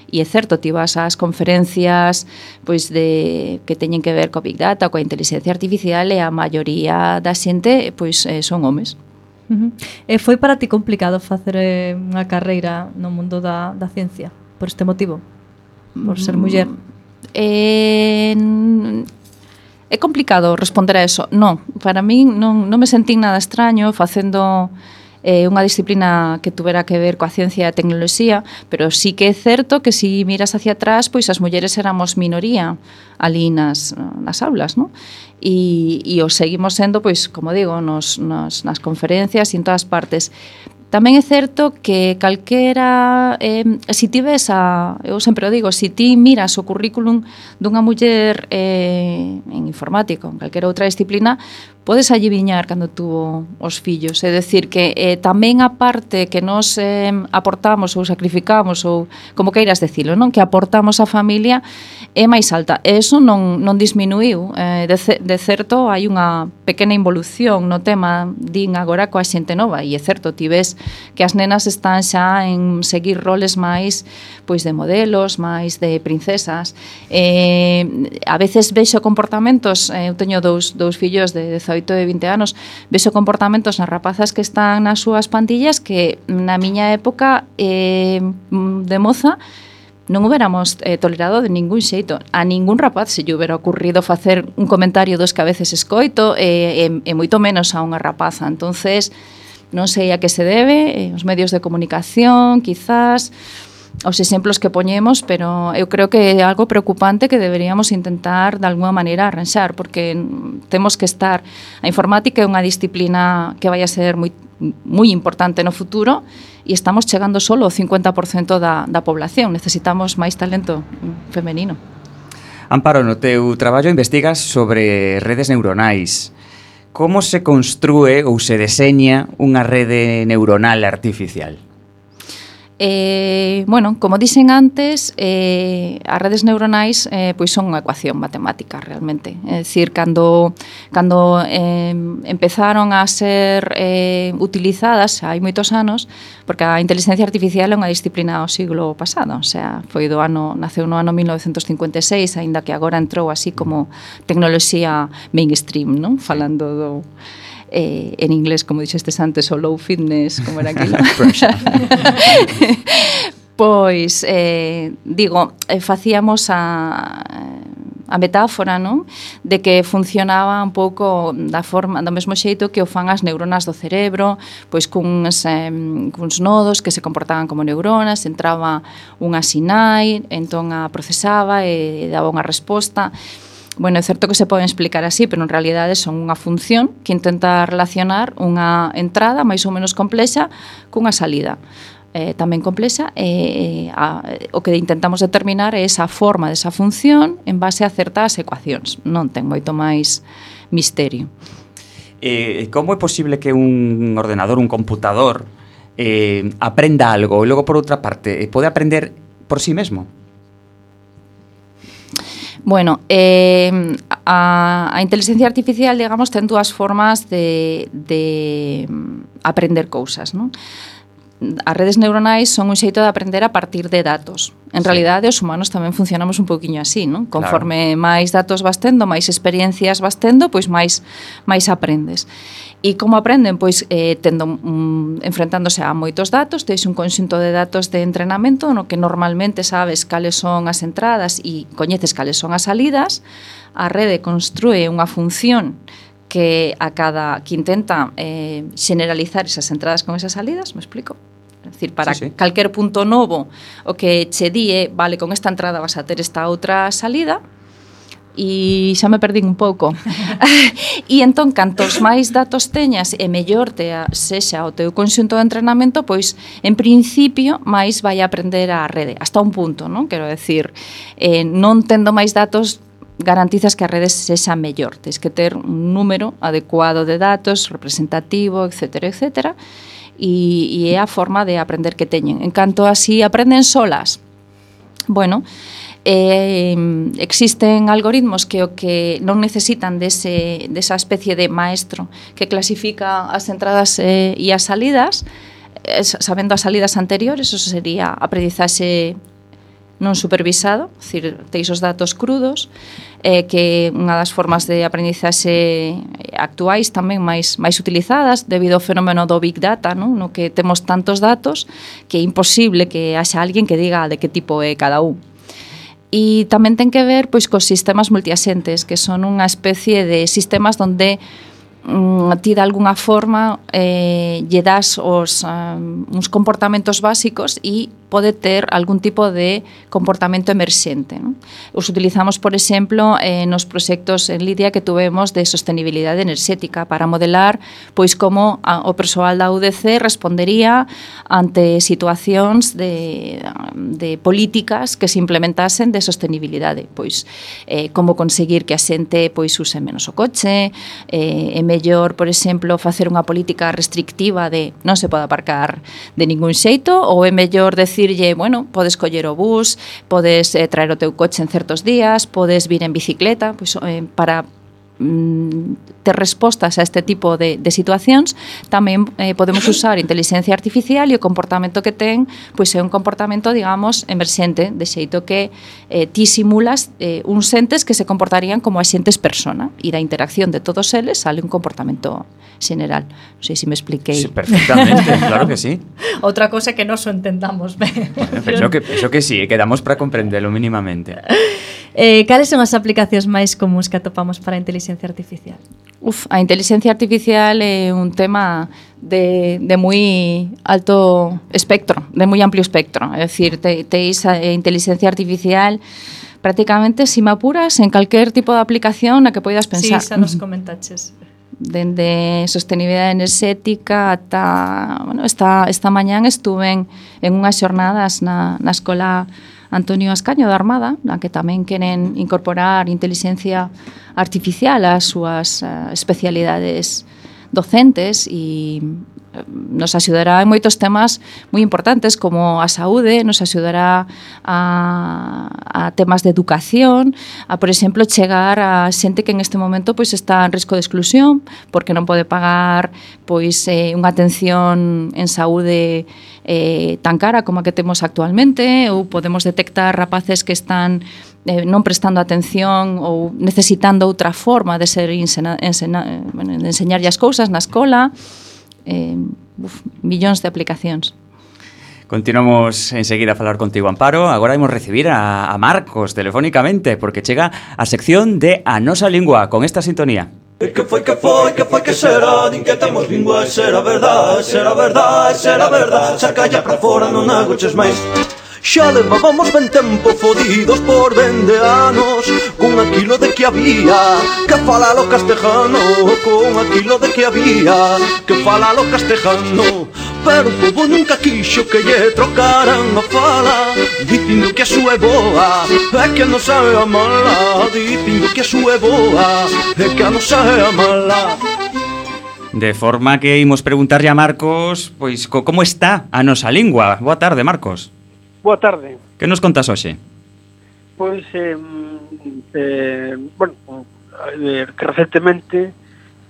Speaker 5: E é certo, ti vas ás conferencias pois de que teñen que ver co Big Data, coa inteligencia artificial, e a maioría da xente pois eh, son homes.
Speaker 3: Uh-huh. E foi para ti complicado facer eh, unha carreira no mundo da, da ciencia por este motivo? Por ser muller?
Speaker 5: Eh, é complicado responder a eso. Non, para min non, non me sentín nada extraño facendo eh, unha disciplina que tuvera que ver coa ciencia e a tecnoloxía, pero sí que é certo que se si miras hacia atrás, pois as mulleres éramos minoría ali nas, nas aulas, non? E, e os seguimos sendo, pois, como digo, nos, nos, nas conferencias e en todas partes. Tamén é certo que calquera, eh, si ti ves a, eu sempre o digo, si ti miras o currículum dunha muller eh, en informática, en calquera outra disciplina, podes adiviñar cando tuvo os fillos. É dicir, que eh, tamén a parte que nos eh, aportamos ou sacrificamos, ou como queiras decilo, non? Que aportamos á familia é máis alta. E eso non, non disminuiu. Eh, de, de certo, hai unha pequena involución no tema, din agora, coa xente nova. E é certo, ti ves que as nenas están xa en seguir roles máis pois de modelos, máis de princesas. Eh, a veces vexo comportamentos, eh, eu teño dous, dous fillos de dezaoito e vinte anos, vexo comportamentos nas rapazas que están nas súas pandillas que na miña época eh, de moza non huberamos eh, tolerado de ningún xeito. A ningún rapaz se lle hubiera ocurrido facer un comentario dos que a veces escoito e, e, e moito menos a unha rapaza. Entonces, non sei a que se debe, eh, os medios de comunicación, quizás, os exemplos que poñemos, pero eu creo que é algo preocupante que deberíamos intentar de alguma maneira arranxar, porque temos que estar... A informática é unha disciplina que vai a ser moi, moi importante no futuro e estamos chegando solo ao cincuenta por cento da, da población. Necesitamos máis talento femenino.
Speaker 2: Amparo, no teu traballo investigas sobre redes neuronais. Como se construe ou se deseña unha rede neuronal artificial?
Speaker 5: Eh, bueno, como dixen antes, eh, as redes neuronais eh, pois son unha ecuación matemática realmente. É dicir, cando, cando eh, empezaron a ser eh, utilizadas hai moitos anos, porque a inteligencia artificial é unha disciplina ao siglo pasado, o sea, foi do ano, naceu no ano mil novecentos cincuenta e seis, aínda que agora entrou así como tecnoloxía mainstream, non? Falando do... Eh, en inglés, como dixestes antes, o low fitness, como era aquilo. Pois, eh, digo, eh, facíamos a, a metáfora, non? De que funcionaba un pouco da forma, do mesmo xeito que o fan as neuronas do cerebro, pois cuns, eh, cuns nodos que se comportaban como neuronas, entraba unha sinai, entón a procesaba e daba unha resposta. Bueno, é certo que se poden explicar así, pero en realidade son unha función que intenta relacionar unha entrada máis ou menos complexa cunha salida eh, tamén complexa e eh, a, o que intentamos determinar é esa forma desa función en base a certas ecuacións. Non ten moito máis misterio.
Speaker 2: Eh, como é posible que un ordenador, un computador eh, aprenda algo e logo, por outra parte, pode aprender por sí mesmo?
Speaker 5: Bueno, eh, a, a inteligencia artificial, digamos, ten dúas formas de, de aprender cousas, non? As redes neuronais son un xeito de aprender a partir de datos. En sí. realidade, os humanos tamén funcionamos un pouquiño así, non? Conforme claro. máis datos vas tendo, máis experiencias vas tendo, pois máis máis aprendes. E como aprenden? Pois eh, tendo, mm, enfrentándose a moitos datos, teis un conxunto de datos de entrenamento no que normalmente sabes cales son as entradas e coñeces cales son as salidas. A rede construe unha función que a cada que intenta eh, generalizar esas entradas con esas salidas, me explico? É dicir, para sí, sí. calquer punto novo o que che die, vale, con esta entrada vas a ter esta outra salida, e xa me perdín un pouco. E entón, cantos máis datos teñas e mellor te a, sexa o teu conxunto de entrenamento, pois, en principio, máis vai a aprender a rede, hasta un punto, non? Quero decir, eh, non tendo máis datos, garantizas que a rede sexa mellor. Tens que ter un número adecuado de datos, representativo, etcétera, etcétera, e, e é a forma de aprender que teñen. En canto a si aprenden solas, bueno, eh, existen algoritmos que o que non necesitan dese, desa especie de maestro que clasifica as entradas eh, e as salidas, eh, sabendo as salidas anteriores, eso sería aprendizaxe non supervisado, é dicir, teis os datos crudos, eh, que unha das formas de aprendizaxe actuais tamén máis máis utilizadas debido ao fenómeno do Big Data, non? No que temos tantos datos que é imposible que haxa alguén que diga de que tipo é cada un. E tamén ten que ver pois cos sistemas multiasentes, que son unha especie de sistemas onde mm, ti de alguna forma eh, lle das os, um, uns comportamentos básicos e pode ter algún tipo de comportamento emerxente, non? Os utilizamos, por exemplo, eh, nos proxectos en Lidia que tuvemos de sostenibilidade enerxética para modelar pois como a, o persoal da U D C respondería ante situacións de, de políticas que se implementasen de sostenibilidade, pois eh, como conseguir que a xente pois use menos o coche, eh, é mellor, por exemplo, facer unha política restrictiva de non se pode aparcar de ningún xeito, ou é mellor decirlle, bueno, podes coller o bus, podes eh, traer o teu coche en certos días, podes vir en bicicleta, pois, eh, para mm, ter respostas a este tipo de, de situacións. Tamén eh, podemos usar inteligencia artificial e o comportamento que ten pois é un comportamento, digamos, emerxente, de xeito que eh, ti simulas eh, uns entes que se comportarían como axentes persona e da interacción de todos eles sale un comportamento general. Non sei se me expliquei.
Speaker 2: Sí, perfectamente, claro que sí.
Speaker 3: Outra cosa que nos o entendamos ben.
Speaker 2: Bueno, penso que, penso que sí, quedamos para comprendelo mínimamente.
Speaker 3: Eh, cales son as aplicacións máis comuns que atopamos para a inteligencia artificial?
Speaker 5: Uf, a inteligencia artificial é un tema de, de moi alto espectro, de moi amplio espectro. É dicir, te, teis a inteligencia artificial prácticamente, si me apuras, en calquer tipo de aplicación na que poidas pensar.
Speaker 3: Sí, xa nos comentaches.
Speaker 5: Dende sostenibilidade enerxética ata, bueno, esta, esta mañán estuve en, en unhas xornadas na, na escola Antonio Ascaño da Armada, na que tamén queren incorporar inteligencia artificial ás súas uh, especialidades docentes e nos axudará en moitos temas moi importantes como a saúde, nos axudará a, a temas de educación, a, por exemplo, chegar a xente que en este momento pois está en risco de exclusión porque non pode pagar pois eh, unha atención en saúde eh, tan cara como a que temos actualmente, ou podemos detectar rapaces que están eh, non prestando atención ou necesitando outra forma de ser ensena, ensena, bueno, de enseñarlle as cousas na escola. Eh, uf, millóns de aplicacións.
Speaker 2: Continuamos enseguida a falar contigo, Amparo. Agora imos recibir a, a Marcos telefónicamente porque chega a sección de A Nosa Lingua con esta sintonía.
Speaker 6: Que foi, que foi, que foi, que será? Din que temos lingua, será verdad, será verdad, será verdad. Saca ya pra fora, non agoches máis. Xa levábamos ben tempo fodidos por vende anos con aquilo de que había que falalo castejano, con aquilo de que había que falalo castejano. Pero o povo nunca quixo que lle trocaran a fala, dicindo que a súa é boa e que a nosa é a mala, dicindo que a súa é boa e que a nosa é a mala.
Speaker 2: De forma que imos preguntarlle a Marcos, pois, co, como está a nosa lingua? Boa tarde, Marcos.
Speaker 7: Boa tarde.
Speaker 2: Que nos contas hoxe?
Speaker 7: Pois, eh, eh, bueno, eh, que recentemente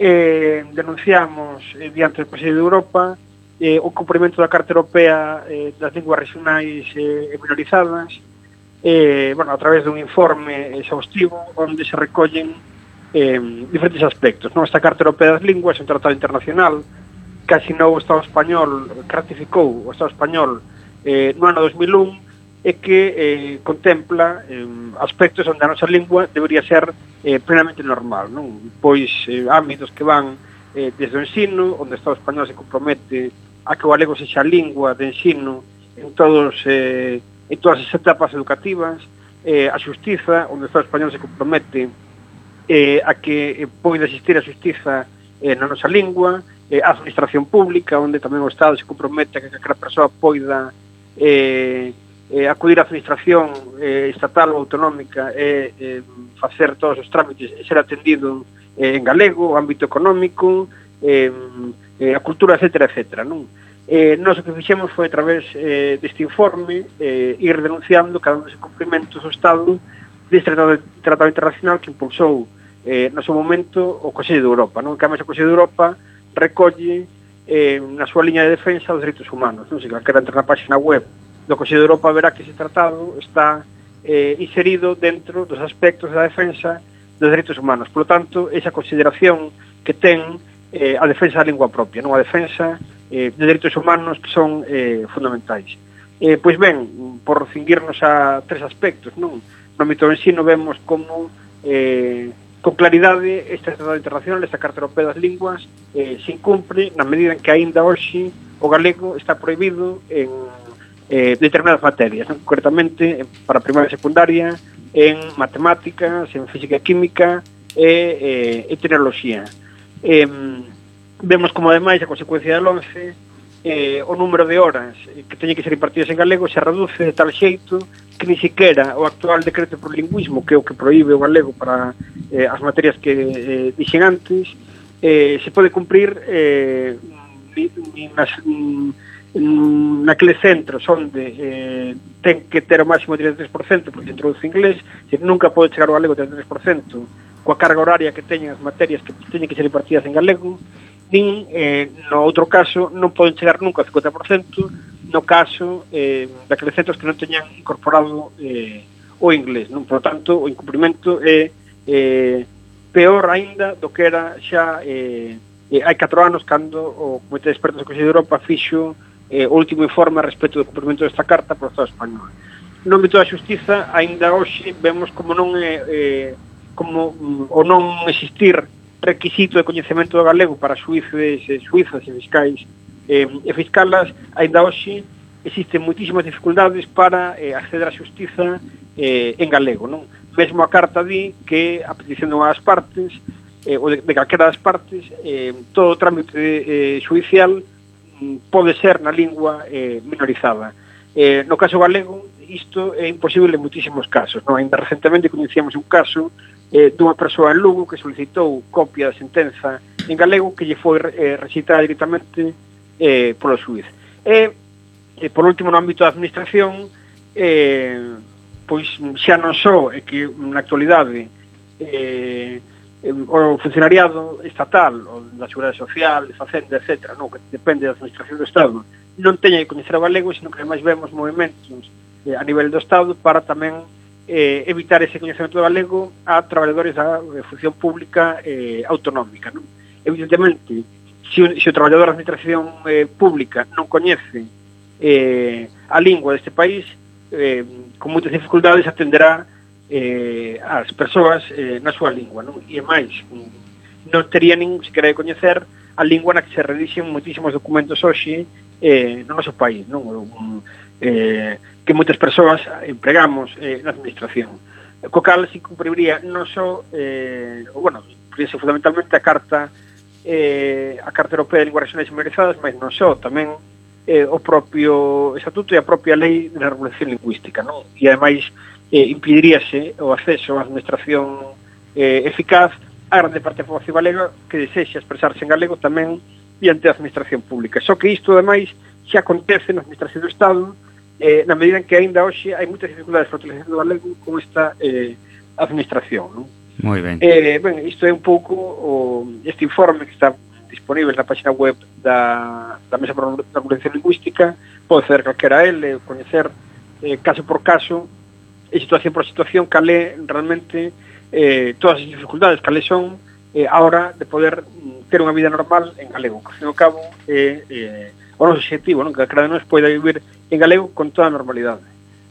Speaker 7: eh, denunciamos eh, diante do Consello de Europa eh, o cumprimento da Carta Europea eh, das linguas regionais eh, e minorizadas, eh, bueno, a través dun informe exhaustivo onde se recollen eh, diferentes aspectos. Non? Esta Carta Europea das Linguas é un tratado internacional que asinou o Estado español, que ratificou o Estado español Eh, no ano dos mil un e que eh, contempla eh, aspectos onde a nosa lingua debería ser eh, plenamente normal, non? Pois eh, ámbitos que van eh, desde o ensino, onde o Estado español se compromete a que o galego sexa a lingua de ensino en todos eh, en todas as etapas educativas, eh, a xustiza, onde o Estado español se compromete eh, a que eh, poida existir a xustiza eh, na nosa lingua, eh, a administración pública, onde tamén o Estado se compromete a que cada persoa poida Eh, eh, acudir á administración eh, estatal ou autonómica e eh, facer todos os trámites e ser atendido eh, en galego, o ámbito económico, eh, eh, a cultura, etcétera, etcétera, non? Eh, nós o que fixemos foi a través eh, deste informe eh, ir denunciando cada un dos incumprimentos do Estado deste tratado, tratado internacional que impulsou eh, no seu momento o Consello de Europa, non? Que a Consello de Europa recolle eh, na súa liña de defensa os dereitos humanos, non? Se calquera entra na página web do Consello de Europa verá que ese tratado está eh, inserido dentro dos aspectos da defensa dos dereitos humanos. Por lo tanto, esa consideración que ten eh, a defensa da lingua propia, non? A defensa eh, de dereitos humanos que son eh, fundamentais. Eh, pois ben, por cinguirnos a tres aspectos, non? No ámbito do ensino vemos como eh, con claridade este tratado internacional, esta Carta Europea das Linguas, eh, se incumpre na medida en que aínda hoxe o galego está prohibido en eh, determinadas materias, non? Concretamente para primaria e secundaria, en matemáticas, en física e química e, eh, e tecnoloxía. Eh, vemos como ademais a consecuencia del once eh, o número de horas que teñen que ser impartidas en galego se reduce de tal xeito que ni siquiera o actual decreto por lingüismo, que é o que proíbe o galego para eh, as materias que eh, dixen antes, eh, se pode cumprir eh, ni, ni nas, mm, naqueles centros onde eh, ten que ter o máximo de trinta e tres por cento porque introduce inglés, se nunca pode chegar o galego trinta e tres por cento coa carga horaria que teñen as materias que teñen que ser impartidas en galego, nin, eh, no outro caso, non poden chegar nunca ao cincuenta por cento no caso eh, daqueles centros que non teñan incorporado eh, o inglés, non? Por tanto, o incumprimento é eh, peor aínda do que era xa eh, eh, hai catro anos cando o Comité de Expertos do Consello de Europa fixo eh, o último informe a respecto do cumprimento desta carta por Estado español. No ámbito da xustiza, aínda hoxe vemos como non é eh, como mm, o non existir requisito de coñecemento do galego para xuíces, eh, xuízas e fiscais eh, e fiscalas, aínda hoxe existen moitísimas dificultades para eh, acceder á xustiza eh, en galego, non? Mesmo a carta di que a petición de unha das partes eh, ou de, de calquera das partes eh, todo o trámite eh, xudicial mm, pode ser na lingua eh, minorizada. Eh, no caso galego, isto é imposible en moitísimos casos, non? Ainda recentemente coñecíamos un caso eh, dunha persoa en Lugo que solicitou copia da sentenza en galego que lle foi eh, recitada directamente eh, polo xuiz. E, eh, por último, no ámbito da administración, eh, pois xa non só é que na actualidade eh, o funcionariado estatal, o da Seguridade Social, de Facenda, etcétera, non, que depende da administración do Estado, non teña que coñecer o galego, sino que ademais vemos movimentos eh, a nivel do Estado para tamén eh, evitar ese coñecemento do galego a traballadores da eh, función pública eh, autonómica, non? Evidentemente, se o, se o traballador da administración eh, pública non coñece eh, a lingua deste país, eh, con moitas dificultades atenderá eh, as persoas eh, na súa lingua, non? E máis, non tería nin sequera de coñecer a lingua na que se redixen moitísimos documentos hoxe eh, no noso país, non? Eh, que moitas persoas empregamos eh, na administración. Co cal se cumpriría non só, eh, bueno, cumpriese fundamentalmente a Carta eh, a Carta Europea de Linguas Regionais e Minorizadas, mas non só, tamén eh, o propio Estatuto e a propia Lei de Regulación Lingüística, non? E ademais eh, impediríase o acceso á administración eh, eficaz a grande parte da poboación galega que desexa expresarse en galego tamén diante da administración pública. Só que isto, ademais, xa acontece na administración do Estado eh, na medida en que aínda hoxe hai moitas dificultades para a utilización do galego con esta eh, administración, non?
Speaker 2: Moi ben.
Speaker 7: Eh, ben, isto é un pouco o, este informe que está disponible na página web da, da Mesa para a Regulación Lingüística, pode acceder calquera a ele, coñecer eh, caso por caso e situación por situación cal é realmente eh, todas as dificultades cales son eh, a hora de poder mm, ter unha vida normal en galego, que ao fin e ao cabo é eh, o noso objetivo, non? Que calquera de nós poida vivir en galego con toda a normalidade.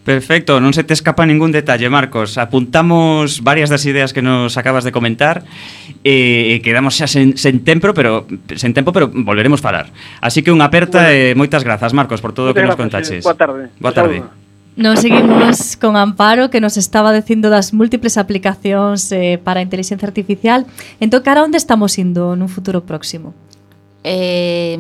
Speaker 2: Perfecto, non se te escapa ningún detalle, Marcos. Apuntamos varias das ideas que nos acabas de comentar e eh, quedamos xa sen, sen tempo, pero sen tempo, pero volveremos falar. Así que unha aperta e bueno, eh, moitas grazas, Marcos, por todo o que nos contaches.
Speaker 7: Boa tarde.
Speaker 2: Boa tarde.
Speaker 3: Nos seguimos con Amparo, que nos estaba dicindo das múltiples aplicacións eh, para a inteligencia artificial. Entón, cara, onde estamos indo nun futuro próximo?
Speaker 5: Eh,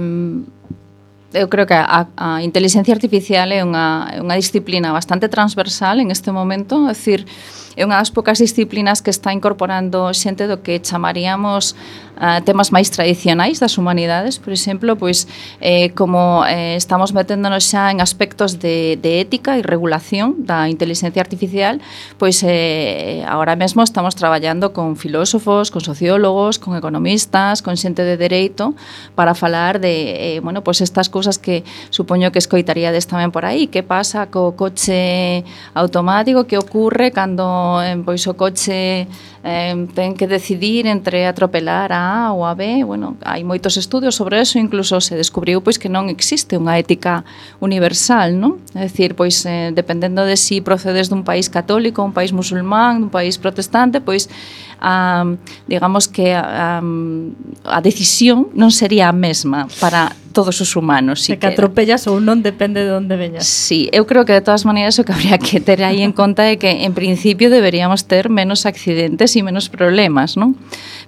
Speaker 5: eu creo que a, a inteligencia artificial é unha, é unha disciplina bastante transversal en este momento, é dicir, é unha das poucas disciplinas que está incorporando xente do que chamaríamos uh, temas máis tradicionais das humanidades, por exemplo, pois eh, como eh, estamos meténdonos xa en aspectos de, de ética e regulación da inteligencia artificial, pois eh, agora mesmo estamos traballando con filósofos, con sociólogos, con economistas, con xente de dereito para falar de, eh, bueno, pois estas cousas que supoño que escoitaríades tamén por aí, que pasa co coche automático, que ocurre cando eh, pois o coche eh, ten que decidir entre atropelar a A ou a B. Bueno, hai moitos estudios sobre eso, incluso se descubriu pois que non existe unha ética universal, non? É dicir, pois eh, dependendo de si procedes dun país católico, un país musulmán, un país protestante, pois a, digamos que a, a decisión non sería a mesma para todos os humanos.
Speaker 3: Se que atropellas ou non depende de onde veñas.
Speaker 5: Sí, eu creo que de todas maneiras o que habría que ter aí en conta é que en principio deberíamos ter menos accidentes e menos problemas, non?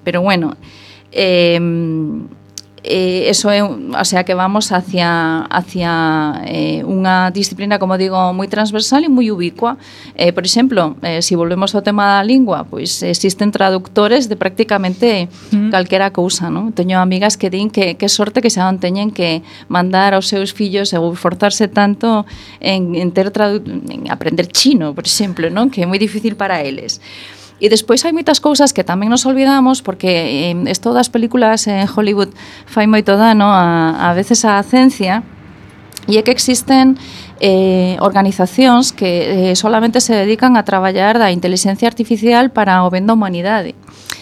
Speaker 5: Pero bueno, eh, eh, eso é, o sea, que vamos hacia hacia eh, unha disciplina, como digo, moi transversal e moi ubicua. Eh, por exemplo, eh, se si volvemos ao tema da lingua, pois existen traductores de prácticamente mm. calquera cousa, non? Teño amigas que din que que sorte que xa non teñen que mandar aos seus fillos ou esforzarse tanto en, en ter tradu en aprender chino, por exemplo, non? Que é moi difícil para eles. E despois hai moitas cousas que tamén nos olvidamos, porque eh, esto das películas en Hollywood fai moito dano a, a veces á ciencia, e é que existen eh, organizacións que eh, solamente se dedican a traballar da inteligencia artificial para o ben da humanidade.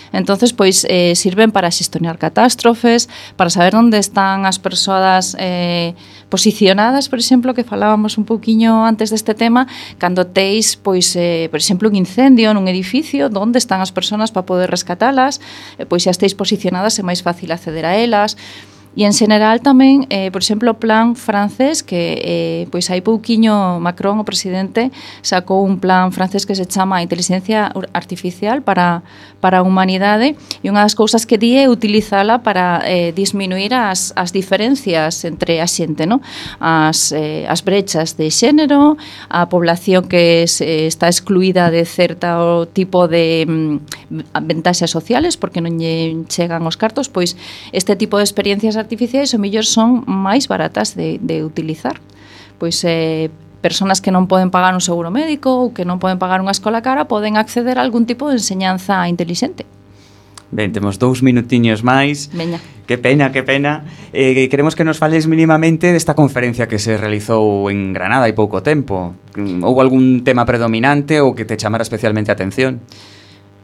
Speaker 5: Entonces, pois, eh, sirven para xestionar catástrofes, para saber onde están as persoas eh, posicionadas, por exemplo, que falábamos un pouquiño antes deste tema, cando teis, pois, eh, por exemplo, un incendio nun edificio, onde están as persoas para poder rescatalas, eh, pois xa estéis posicionadas é máis fácil acceder a elas. E en general tamén, eh, por exemplo, o plan francés, que eh, pois hai pouquiño Macron, o presidente, sacou un plan francés que se chama Inteligencia Artificial para, para a Humanidade, e unha das cousas que di é utilizala para eh, disminuir as, as diferencias entre a xente, no? as, eh, as brechas de xénero, a población que se, está excluída de certo tipo de mm, ventaxas sociales porque non lle chegan os cartos, pois este tipo de experiencias artificiais o mellor son máis baratas de, de utilizar. Pois eh, personas que non poden pagar un seguro médico ou que non poden pagar unha escola cara poden acceder a algún tipo de enseñanza intelixente.
Speaker 2: Ben, temos dous minutiños máis.
Speaker 5: Veña.
Speaker 2: Que pena, que pena. Eh, queremos que nos fales mínimamente desta conferencia que se realizou en Granada hai pouco tempo. Houbo algún tema predominante ou que te chamara especialmente a atención?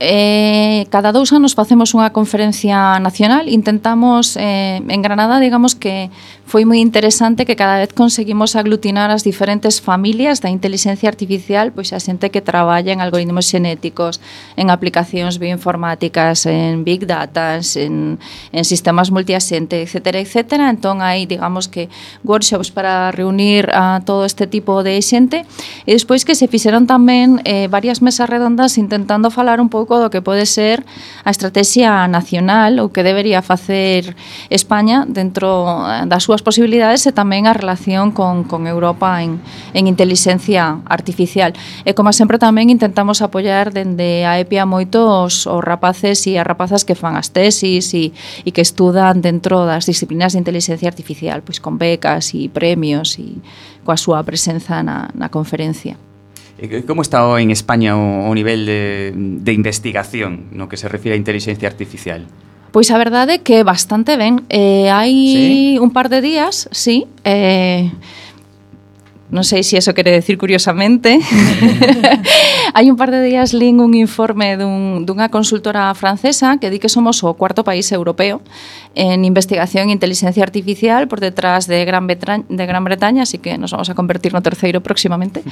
Speaker 5: Eh, cada dous anos facemos unha conferencia nacional. Intentamos, eh, en Granada, digamos que foi moi interesante que cada vez conseguimos aglutinar as diferentes familias da inteligencia artificial, pois a xente que traballa en algoritmos xenéticos, en aplicacións bioinformáticas, en big data, en, en sistemas multiaxente, etcétera, etcétera. Entón hai, digamos que, workshops para reunir a todo este tipo de xente, e despois que se fixeron tamén eh, varias mesas redondas intentando falar un pouco do que pode ser a estrategia nacional ou que debería facer España dentro das súas posibilidades e tamén a relación con, con Europa en, en inteligencia artificial. E como sempre tamén intentamos apoiar dende a EPIA moitos os rapaces e as rapazas que fan as tesis e, e que estudan dentro das disciplinas de inteligencia artificial, pois con becas e premios e coa súa presenza na, na conferencia.
Speaker 2: Como está en España o, o nivel de, de investigación no que se refire a inteligencia artificial?
Speaker 5: Pois a verdade é que bastante ben. Eh, hai ¿Sí? un par de días, sí, eh, non sei se eso quere decir curiosamente, hai un par de días lín un informe dun, dunha consultora francesa que di que somos o cuarto país europeo en investigación e inteligencia artificial por detrás de Gran, Bretaña, de Gran Bretaña, así que nos vamos a convertir no terceiro próximamente,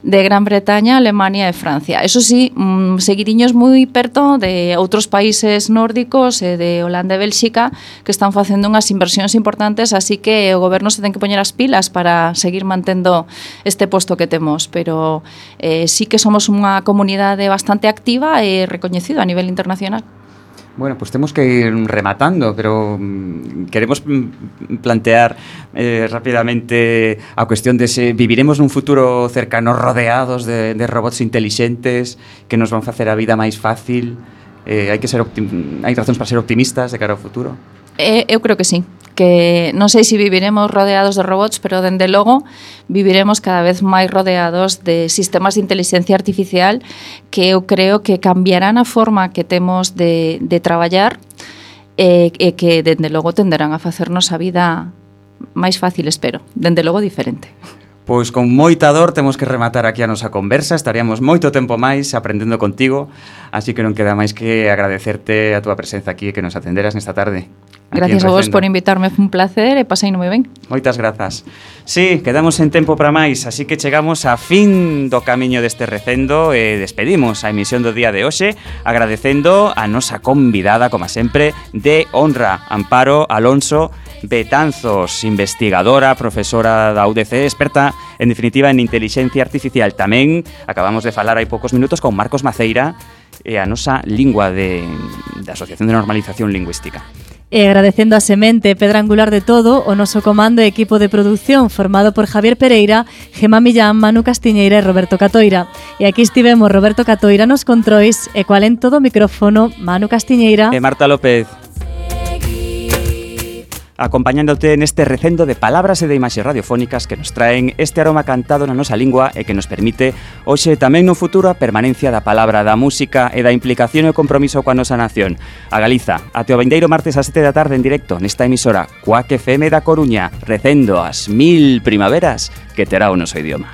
Speaker 5: de Gran Bretaña, Alemania e Francia. Eso sí, mmm, seguidiños moi perto de outros países nórdicos e de Holanda e Bélxica que están facendo unhas inversións importantes, así que o goberno se ten que poñer as pilas para seguir mantendo este posto que temos, pero eh, sí que somos unha comunidade bastante activa e recoñecida a nivel internacional.
Speaker 2: Bueno, pues temos que ir rematando, pero mm, queremos mm, plantear eh, rápidamente a cuestión de se viviremos nun futuro cercano rodeados de, de robots intelixentes que nos van facer a vida máis fácil. Eh, hai que ser optim- hai razóns para ser optimistas de cara ao futuro?
Speaker 5: Eh, eu creo que sí, que non sei se viviremos rodeados de robots, pero dende logo viviremos cada vez máis rodeados de sistemas de inteligencia artificial que eu creo que cambiarán a forma que temos de, de traballar e, e que dende logo tenderán a facernos a vida máis fácil, espero, dende logo diferente.
Speaker 2: Pois con moita dor temos que rematar aquí a nosa conversa. Estaríamos moito tempo máis aprendendo contigo, así que non queda máis que agradecerte a túa presenza aquí e que nos atenderas nesta tarde.
Speaker 5: Gracias a vos por invitarme, foi un placer e paseino moi ben.
Speaker 2: Moitas grazas. Sí, quedamos en tempo para máis, así que chegamos a fin do camiño deste recendo e despedimos a emisión do día de hoxe agradecendo a nosa convidada, como sempre, de honra, Amparo Alonso Betanzos, investigadora, profesora da U D C, experta, en definitiva, en inteligencia artificial. Tamén acabamos de falar hai poucos minutos con Marcos Maceira e a nosa lingua de, de Asociación de Normalización Lingüística.
Speaker 3: E agradecendo a semente pedra angular de todo o noso comando e equipo de produción formado por Javier Pereira, Gemma Millán, Manu Castiñeira e Roberto Catoira. E aquí estivemos Roberto Catoira nos controis e cual en todo o micrófono Manu Castiñeira
Speaker 2: E Marta López, acompañándote neste recendo de palabras e de imaxes radiofónicas que nos traen este aroma cantado na nosa lingua e que nos permite hoxe tamén no futuro a permanencia da palabra, da música e da implicación e o compromiso coa nosa nación. A Galiza, até o vindeiro martes ás sete da tarde en directo nesta emisora Cuac F M da Coruña, recendo as mil primaveras que terá o noso idioma.